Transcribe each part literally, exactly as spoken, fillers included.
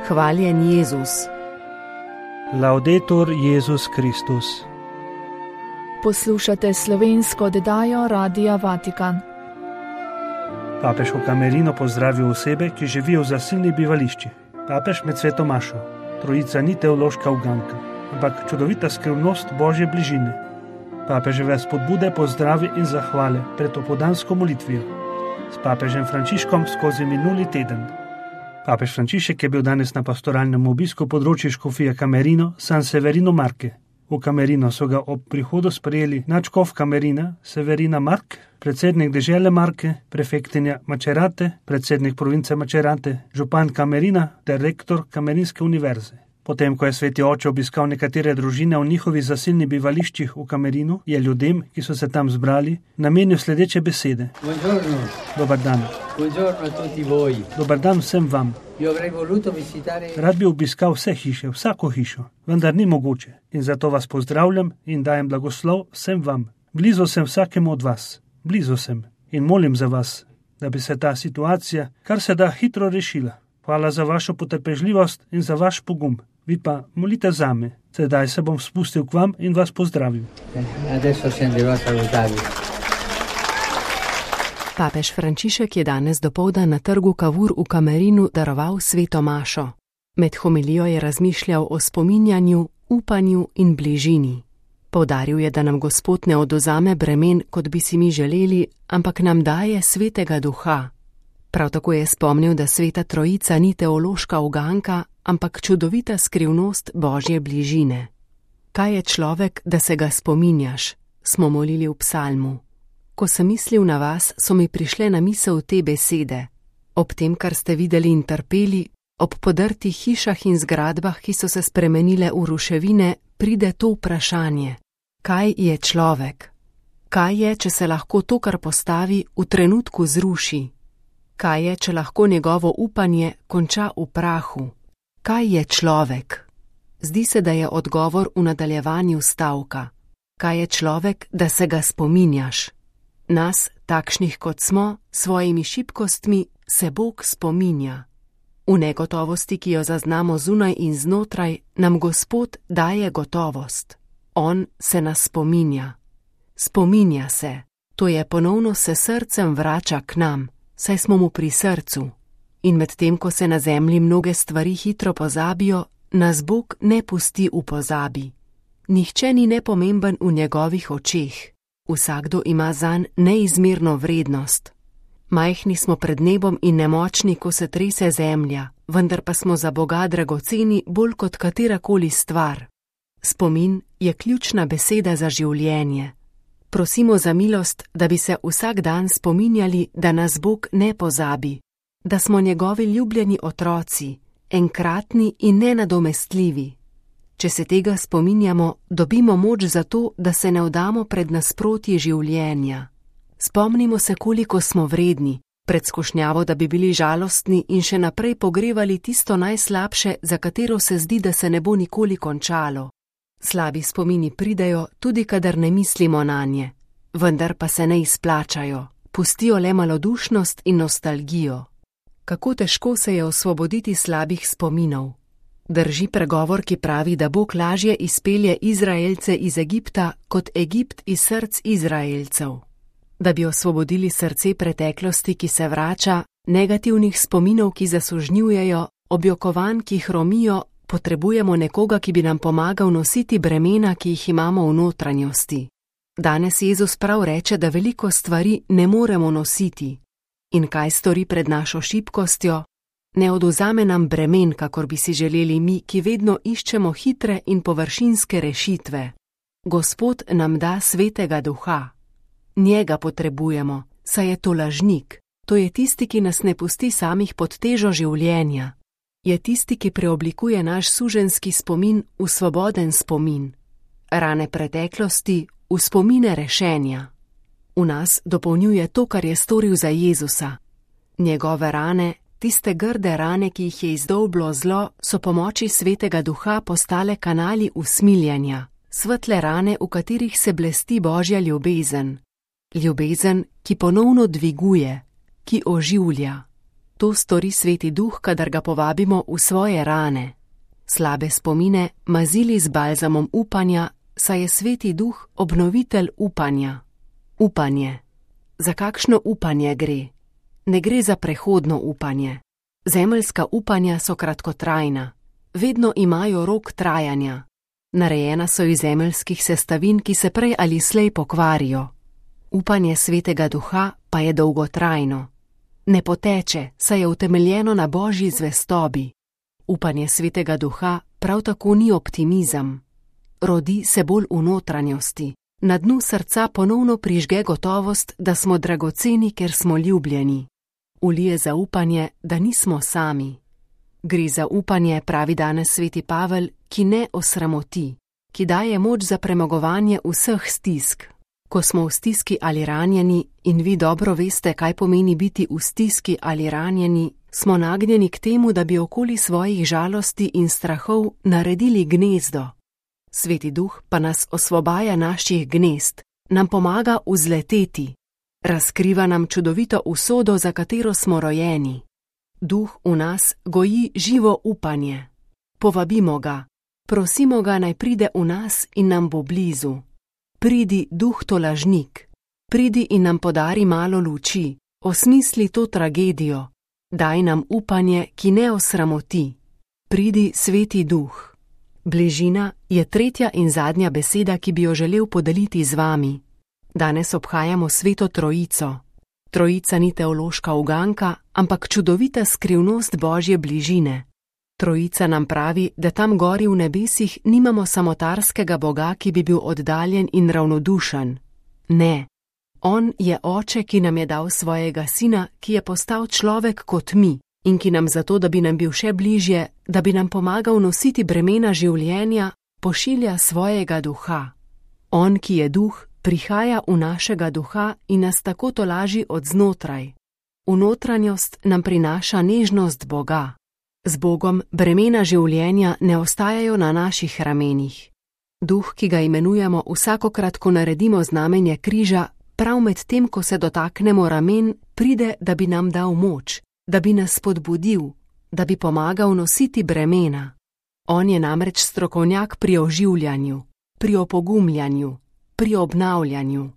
Hvaljen Jezus. Laudetur Jezus Kristus. Poslušate slovensko oddajo Radia Vatikan. Papež v Camerino pozdravil osebe, ki živijo v zasilnih bivališčih. Papež med sveto mašo. Trojica ni teološka uganka, ampak čudovita skrivnost Božje bližine. Papeževe spodbude, pozdravi in zahvale pred opoldansko molitvijo. S papežem Frančiškom skozi minuli teden. Papež Frančišek je bil danes na pastoralnem obisku področju škofije Camerino, San Severino Marke. V Camerino so ga ob prihodu sprejeli nadškof Camerina, Severina Mark, predsednik dežele Marke, prefektinja Macerate, predsednik province Macerate, župan Camerina ter rektor Camerinske univerze. Potem, ko je sveti oče obiskal nekatere družine v njihovih zasilnih bivališčih v Camerinu, je ljudem, ki so se tam zbrali, namenil sledeče besede. Buongiorno. Dobar dan. Buongiorno a tutti voi. Dobar dan vsem vam. Io avrei voluto visitare... Rad bi obiskal vse hiše, vsako hišo, vendar ni mogoče. In zato vas pozdravljam in dajem blagoslov vsem vam. Blizu sem vsakemu od vas. Blizu sem. In molim za vas, da bi se ta situacija kar se da hitro rešila. Hvala za vašo potrpežljivost in za vaš pogum. Vi pa molite zame. Sedaj se bom spustil k vam in vas pozdravil. Adesso scenderò a salutarvi. Papež Frančišek je danes dopoldan na trgu Cavour v Camerinu daroval sveto mašo. Med homilijo je razmišljal o spominjanju, upanju in bližini. Poudaril je, da nam Gospod ne odvzame bremen, kot bi si mi želeli, ampak nam daje svetega duha. Prav tako je spomnil, da sveta trojica ni teološka uganka, ampak čudovita skrivnost Božje bližine. Kaj je človek, da se ga spominjaš, smo molili v psalmu. Ko sem mislil na vas, so mi prišle na misel te besede. Ob tem, kar ste videli in trpeli, ob podrtih hišah in zgradbah, ki so se spremenile v ruševine, pride to vprašanje. Kaj je človek? Kaj je, če se lahko to, kar postavi, v trenutku zruši? Kaj je, če lahko njegovo upanje konča v prahu? Kaj je človek? Zdi se, da je odgovor v nadaljevanju stavka. Kaj je človek, da se ga spominjaš? Nas, takšnih kot smo, svojimi šibkostmi, se Bog spominja. V negotovosti, ki jo zaznamo zunaj in znotraj, nam Gospod daje gotovost. On se nas spominja. Spominja se, to je ponovno se srcem vrača k nam, saj smo mu pri srcu. In medtem, ko se na zemlji mnoge stvari hitro pozabijo, nas Bog ne pusti v pozabi. Nihče ni nepomemben v njegovih očeh. Vsakdo ima zanj neizmerno vrednost. Majhni smo pred nebom in nemočni, ko se trese zemlja, vendar pa smo za Boga dragoceni bolj kot katerakoli stvar. Spomin je ključna beseda za življenje. Prosimo za milost, da bi se vsak dan spominjali, da nas Bog ne pozabi, da smo njegovi ljubljeni otroci, enkratni in nenadomestljivi. Če se tega spominjamo, dobimo moč za to, da se ne vdamo pred nasprotji življenja. Spomnimo se, koliko smo vredni, pred skušnjavo, da bi bili žalostni in še naprej pogrevali tisto najslabše, za katero se zdi, da se ne bo nikoli končalo. Slabi spomini pridejo, tudi kadar ne mislimo nanje, vendar pa se ne izplačajo, pustijo le malodušnost in nostalgijo. Kako težko se je osvoboditi slabih spominov. Drži pregovor, ki pravi, da Bog lažje izpelje Izraelce iz Egipta, kot Egipt iz src Izraelcev. Da bi osvobodili srce preteklosti, ki se vrača, negativnih spominov, ki zasužnjujejo, objokovanj, ki hromijo, potrebujemo nekoga, ki bi nam pomagal nositi bremena, ki jih imamo v notranjosti. Danes Jezus prav reče, da veliko stvari ne moremo nositi. In kaj stori pred našo šibkostjo? Ne odvzame nam bremen, kakor bi si želeli mi, ki vedno iščemo hitre in površinske rešitve. Gospod nam da svetega duha. Njega potrebujemo, saj je to lažnik. To je tisti, ki nas ne pusti samih pod težo življenja. Je tisti, ki preoblikuje naš suženjski spomin v svoboden spomin. Rane preteklosti v spomine rešenja. V nas dopolnjuje to, kar je storil za Jezusa. Njegove rane, tiste grde rane, ki jih je izdolblo zlo, so po moči svetega duha postale kanali usmiljanja, svetle rane, v katerih se blesti Božja ljubezen. Ljubezen, ki ponovno dviguje, ki oživlja. To stori Sveti Duh, kadar ga povabimo v svoje rane. Slabe spomine mazili z balzamom upanja, saj je Sveti Duh obnovitelj upanja. Upanje. Za kakšno upanje gre? Ne gre za prehodno upanje. Zemeljska upanja so kratkotrajna. Vedno imajo rok trajanja. Narejena so iz zemeljskih sestavin, ki se prej ali slej pokvarijo. Upanje Svetega Duha pa je dolgotrajno. Ne poteče, saj je utemeljeno na Božji zvestobi. Upanje Svetega Duha prav tako ni optimizem. Rodi se bolj v notranjosti. Na dnu srca ponovno prižge gotovost, da smo dragoceni, ker smo ljubljeni. Ulije zaupanje, da nismo sami. Gre za upanje, pravi danes Sveti Pavel, ki ne osramoti, ki daje moč za premagovanje vseh stisk. Ko smo v stiski ali ranjeni, in vi dobro veste, kaj pomeni biti v stiski ali ranjeni, smo nagnjeni k temu, da bi okoli svojih žalosti in strahov naredili gnezdo. Sveti Duh pa nas osvobaja naših gnezd, nam pomaga vzleteti, razkriva nam čudovito usodo, za katero smo rojeni. Duh v nas goji živo upanje. Povabimo ga, prosimo ga, naj pride v nas in nam bo blizu. Pridi, Duh tolažnik, pridi in nam podari malo luči, osmisli to tragedijo, daj nam upanje, ki ne osramoti. Pridi, Sveti Duh. Bližina je tretja in zadnja beseda, ki bi jo želel podeliti z vami. Danes obhajamo Sveto Trojico. Trojica ni teološka uganka, ampak čudovita skrivnost Božje bližine. Trojica nam pravi, da tam gori v nebesih nimamo samotarskega Boga, ki bi bil oddaljen in ravnodušen. Ne. On je Oče, ki nam je dal svojega Sina, ki je postal človek kot mi in ki nam zato, da bi nam bil še bližje, da bi nam pomagal nositi bremena življenja, pošilja svojega Duha. On, ki je Duh, prihaja v našega duha in nas tako tolaži od znotraj. V notranjost nam prinaša nežnost Boga. Z Bogom bremena življenja ne ostajajo na naših ramenih. Duh, ki ga imenujemo vsakokrat, ko naredimo znamenje križa, prav med tem, ko se dotaknemo ramen, pride, da bi nam dal moč, da bi nas spodbudil, da bi pomagal nositi bremena. On je namreč strokovnjak pri oživljanju, pri opogumljanju, pri obnavljanju.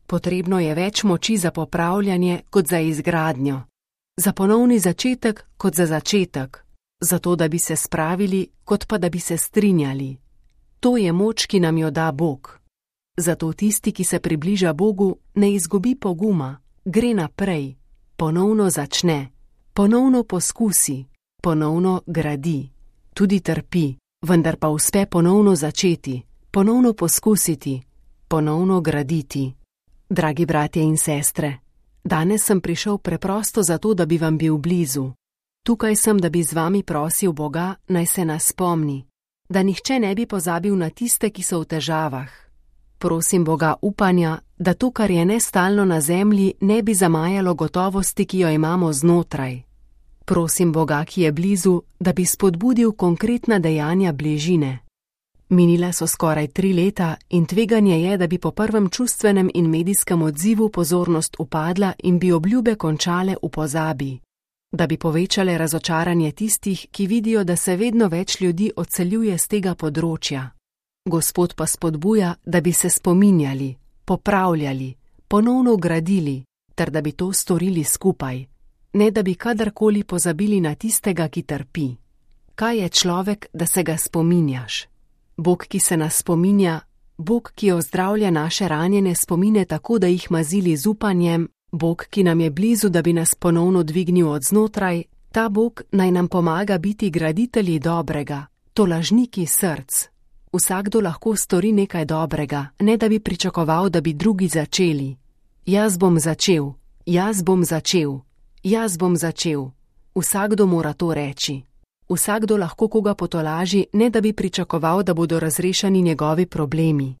Potrebno je več moči za popravljanje kot za izgradnjo, za ponovni začetek kot za začetek, zato da bi se spravili, kot pa da bi se strinjali. To je moč, ki nam jo da Bog. Zato tisti, ki se približa Bogu, ne izgubi poguma, gre naprej, ponovno začne, ponovno poskusi, ponovno gradi, tudi trpi, vendar pa uspe ponovno začeti, ponovno poskusiti, ponovno graditi. Dragi bratje in sestre, danes sem prišel preprosto zato, da bi vam bil blizu. Tukaj sem, da bi z vami prosil Boga, naj se nas spomni, da nihče ne bi pozabil na tiste, ki so v težavah. Prosim Boga upanja, da to, kar je nestalno na zemlji, ne bi zamajalo gotovosti, ki jo imamo znotraj. Prosim Boga, ki je blizu, da bi spodbudil konkretna dejanja bližine. Minila so skoraj tri leta in tveganje je, da bi po prvem čustvenem in medijskem odzivu pozornost upadla in bi obljube končale v pozabi. Da bi povečale razočaranje tistih, ki vidijo, da se vedno več ljudi odseljuje z tega področja. Gospod pa spodbuja, da bi se spominjali, popravljali, ponovno gradili, ter da bi to storili skupaj, ne da bi kadarkoli pozabili na tistega, ki trpi. Kaj je človek, da se ga spominjaš? Bog, ki se nas spominja, Bog, ki ozdravlja naše ranjene spomine tako, da jih mazili z upanjem, Bog, ki nam je blizu, da bi nas ponovno dvignil od znotraj, ta Bog naj nam pomaga biti graditelji dobrega, tolažniki src. Vsakdo lahko stori nekaj dobrega, ne da bi pričakoval, da bi drugi začeli. Jaz bom začel, jaz bom začel, jaz bom začel. Vsakdo mora to reči. Vsakdo lahko koga potolaži, ne da bi pričakoval, da bodo razrešeni njegovi problemi.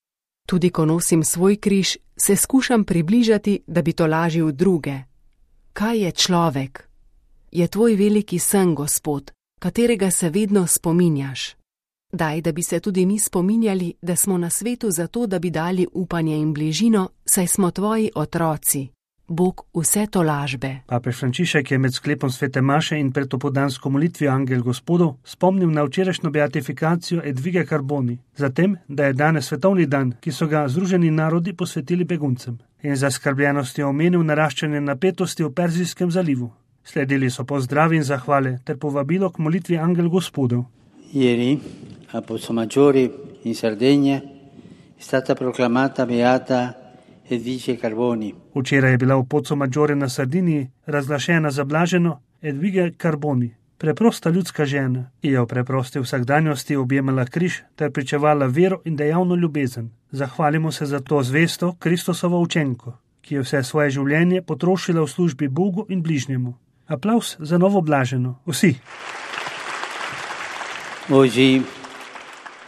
Tudi ko nosim svoj križ, se skušam približati, da bi tolažil druge. Kaj je človek? Je tvoj veliki sen, Gospod, katerega se vedno spominjaš. Daj, da bi se tudi mi spominjali, da smo na svetu zato, da bi dali upanje in bližino, saj smo tvoji otroci. Bog vse to lažbe. Papež Frančišek je med sklepom svete maše in pred opoldansko molitvijo Angel Gospodov spomnil na včerajšnjo beatifikacijo Edvige Carboni, zatem, da je danes svetovni dan, ki so ga Združeni narodi posvetili beguncem, in zaskrbljenosti omenil naraščanje napetosti v Perzijskem zalivu. Sledili so pozdravi in zahvale ter povabilo k molitvi Angel Gospodov. Ieri, a Pozzomaggiore in Sardegna, è stata proclamata beata Edvige Carboni. Včeraj je bila v Pozzomaggiore na Sardiniji razglašena za blaženo Edvige Carboni, preprosta ljudska žena, ki je v preprosti vsakdanjosti objemala križ ter pričevala vero in dejavno ljubezen. Zahvalimo se za to zvesto Kristusovo učenko, ki je vse svoje življenje potrošila v službi Bogu in bližnjemu. Aplavz za novo blaženo. Vsi. Oggi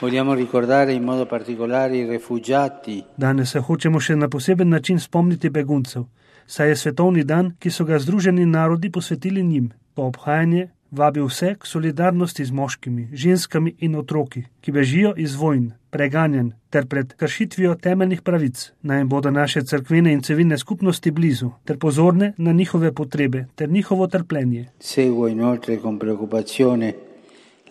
vogliamo ricordare in modo particolare i rifugiati. Danes se hočemo še na poseben način spomniti beguncev, saj je svetovni dan, ki so ga Združeni narodi posvetili njim. To obhajanje vabi vse k solidarnosti z moškimi, ženskami in otroki, ki bežijo iz vojn, preganjanj ter pred kršitvijo temeljnih pravic. Naj bodo naše cerkvene in civilne skupnosti blizu ter pozorne na njihove potrebe ter njihovo trpljenje. Seguo inoltre con preoccupazione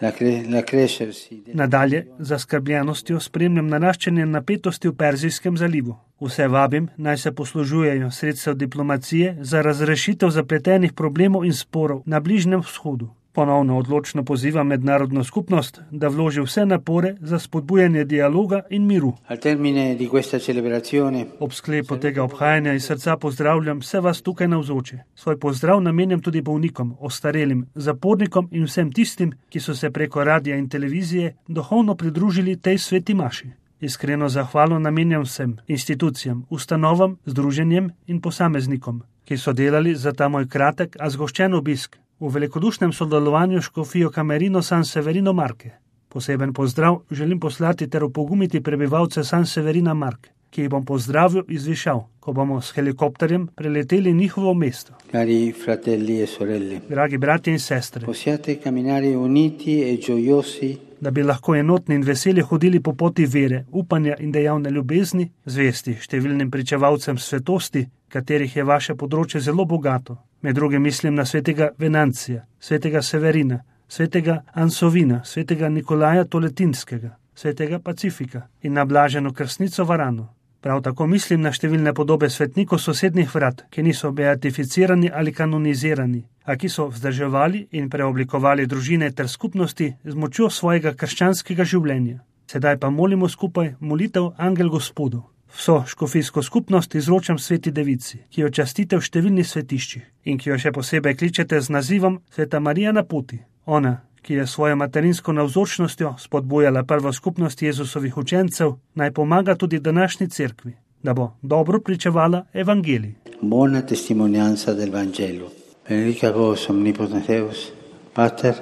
la cre- la crescersi. Nadalje, z zaskrbljenostjo spremljam naraščanje napetosti v Perzijskem zalivu. Vse vabim, naj se poslužujejo sredstev diplomacije za razrešitev zapletenih problemov in sporov na Bližnjem vzhodu. Ponovno odločno pozivam mednarodno skupnost, da vloži vse napore za spodbujanje dialoga in miru. Al termine di questa celebrazione, Ob sklepu tega obhajanja iz srca pozdravljam vse vas tukaj navzoče. Svoj pozdrav namenjam tudi bolnikom, ostarelim, zapornikom in vsem tistim, ki so se preko radia in televizije duhovno pridružili tej sveti maši. Iskreno zahvalo namenjam vsem institucijam, ustanovam, združenjem in posameznikom, ki so delali za ta moj kratek, a zgoščen obisk v velikodušnem sodelovanju s škofijo Camerino San Severino Marke. Poseben pozdrav želim poslati ter opogumiti prebivalce San Severina Marke, ki jih bom pozdravil in zvišal, ko bomo s helikopterjem preleteli njihovo mesto. cari fratelli e sorelle, Dragi bratje in sestre, possiate camminare uniti e gioiosi da bi lahko enotni in veseli hodili po poti vere, upanja in dejavne ljubezni, zvesti številnim pričevalcem svetosti, katerih je vaše področje zelo bogato. Med drugim mislim na svetega Venancija, svetega Severina, svetega Ansovina, svetega Nikolaja Toletinskega, svetega Pacifika in na blaženo krstnico Varano. Prav tako mislim na številne podobe svetnikov sosednjih vrat, ki niso beatificirani ali kanonizirani, a ki so vzdrževali in preoblikovali družine ter skupnosti z močjo svojega krščanskega življenja. Sedaj pa molimo skupaj molitev Angel Gospodov. Vso škofijsko skupnost izročam sveti devici, ki jo častite v številnih svetiščih in ki jo še posebej kličete z nazivom Sveta Marija na poti. Ona, ki je svojo materinsko navzočnostjo spodbujala prvo skupnost Jezusovih učencev, naj pomaga tudi današnji cerkvi, da bo dobro pričevala evangelij. buona testimonianza del Vangelo. Benedicat vos omnipotens Deus, Pater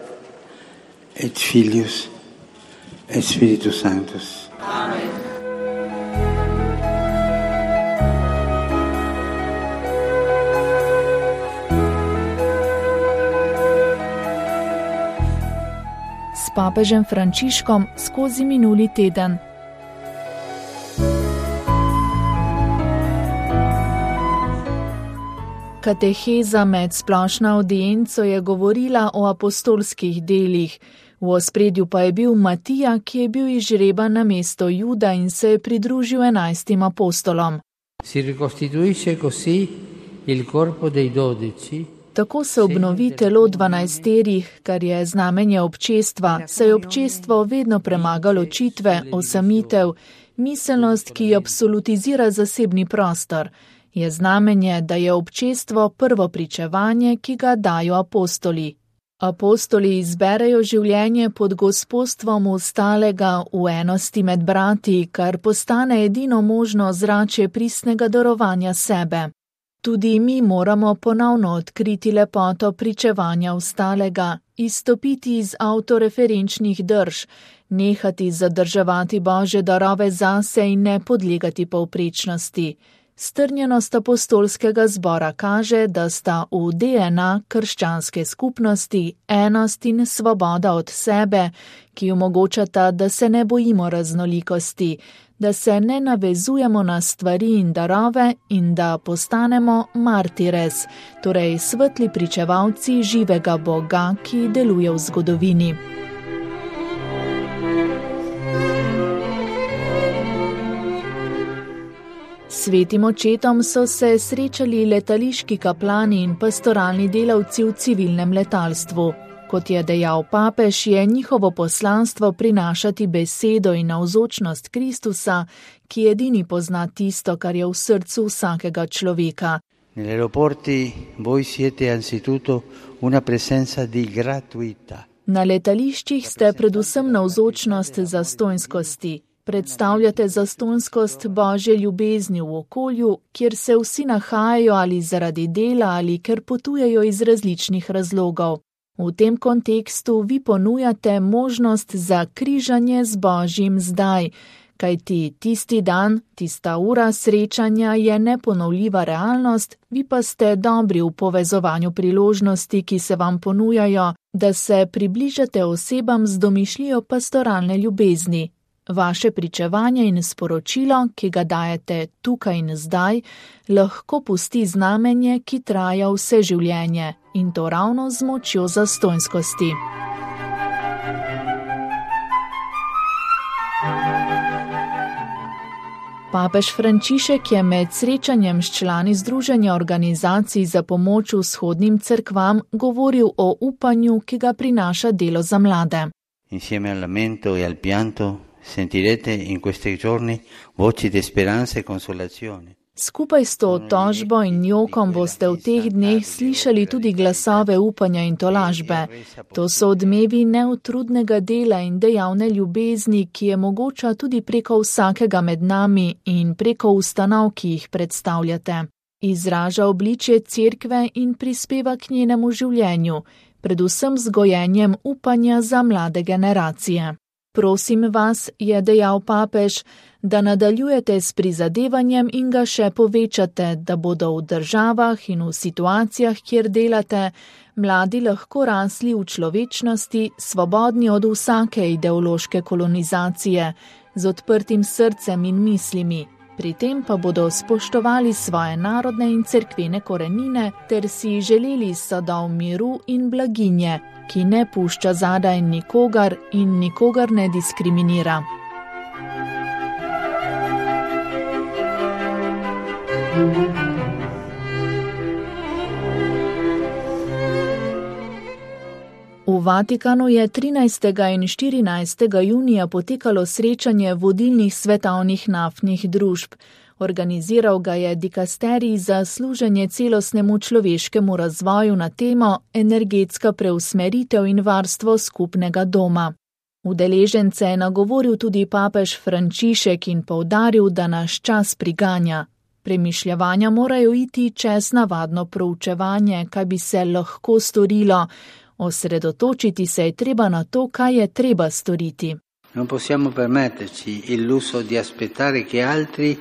et Filius et Spiritus Sanctus. S papežem Frančiškom skozi minuli teden. Kateheza med splošno avdienco je govorila o apostolskih delih. V ospredju pa je bil Matija, ki je bil izžreban na mesto Juda in se je pridružil enajstim apostolom. Si ricostituisce così il corpo dei dodici. Tako se obnovi telo dvanajsterih, kar je znamenje občestva, saj je občestvo vedno premagalo ločitve, osamitev, miselnost, ki absolutizira zasebni prostor. Je znamenje, da je občestvo prvo pričevanje, ki ga dajo apostoli. Apostoli izberejo življenje pod gospostvom ostalega v enosti med brati, kar postane edino možno zrače pristnega darovanja sebe. Tudi mi moramo ponovno odkriti lepoto pričevanja ostalega, izstopiti iz avtoreferenčnih drž, nehati zadrževati Božje darove zase in ne podlegati povprečnosti. Strnjenost apostolskega zbora kaže, da sta v D N A krščanske skupnosti enost in svoboda od sebe, ki omogočata, da se ne bojimo raznolikosti, da se ne navezujemo na stvari in darove in da postanemo martires, torej svetli pričevalci živega Boga, ki deluje v zgodovini. Svetim očetom so se srečali letališki kaplani in pastoralni delavci v civilnem letalstvu. Kot je dejal papež, je njihovo poslanstvo prinašati besedo in navzočnost Kristusa, ki edini pozna tisto, kar je v srcu vsakega človeka. Negli aeroporti voi siete anzitutto una presenza di gratuità. Na letališčih ste predvsem navzočnost zastonjskosti. Predstavljate zastonjskost Božje ljubezni v okolju, kjer se vsi nahajajo ali zaradi dela ali ker potujejo iz različnih razlogov. V tem kontekstu vi ponujate možnost za križanje z Božjim zdaj, kajti tisti dan, tista ura srečanja je neponovljiva realnost, vi pa ste dobri v povezovanju priložnosti, ki se vam ponujajo, da se približate osebam z domišljijo pastoralne ljubezni. Vaše pričevanje in sporočilo, ki ga dajete tukaj in zdaj, lahko pusti znamenje, ki traja vse življenje, in to ravno z močjo zastonjskosti. Papež Frančišek je med srečanjem s člani Združenja organizacij za pomoč vzhodnim cerkvam govoril o upanju, ki ga prinaša delo za mlade. Insieme al lamento e al pianto sentirete in questi giorni voci di speranza e consolazione. Skupaj s to tožbo in jokom boste v teh dneh slišali tudi glasove upanja in tolažbe. To so odmevi neutrudnega dela in dejavne ljubezni, ki je mogoča tudi preko vsakega med nami in preko ustanov, ki jih predstavljate. Izraža obličje cerkve in prispeva k njenemu življenju, predvsem z gojenjem upanja za mlade generacije. Prosim vas, je dejal papež, da nadaljujete s prizadevanjem in ga še povečate, da bodo v državah in v situacijah, kjer delate, mladi lahko rasli v človečnosti, svobodni od vsake ideološke kolonizacije, z odprtim srcem in mislimi. Pri tem pa bodo spoštovali svoje narodne in cerkvene korenine ter si želeli sadov miru in blaginje, ki ne pušča zadaj nikogar in nikogar ne diskriminira. V Vatikanu je trinajstega in štirinajstega junija potekalo srečanje vodilnih svetovnih naftnih družb. Organiziral ga je dikasterij za služenje celostnemu človeškemu razvoju na temo energetska preusmeritev in varstvo skupnega doma. Udeležence je nagovoril tudi papež Frančišek in poudaril, da naš čas priganja. Premišljevanja morajo iti čez navadno proučevanje, kaj bi se lahko storilo. Osredotočiti se je treba na to, kaj je treba storiti. Non possiamo permetterci il lusso di aspettare che altri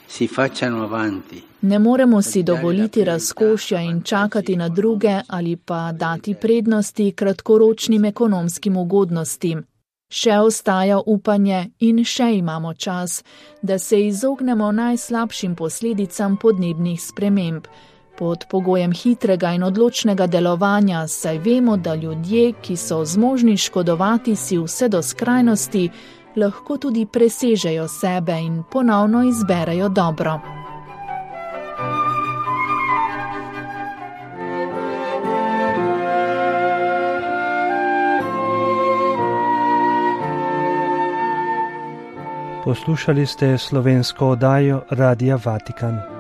si facciano avanti. Ne moremo si dovoliti razkošja in čakati na druge ali pa dati prednosti kratkoročnim ekonomskim ugodnostim. Še ostaja upanje in še imamo čas, da se izognemo najslabšim posledicam podnebnih sprememb. Pod pogojem hitrega in odločnega delovanja, saj vemo, da ljudje, ki so zmožni škodovati si vse do skrajnosti, lahko tudi presežejo sebe in ponovno izberejo dobro. Poslušali ste slovensko oddajo Radia Vatikan.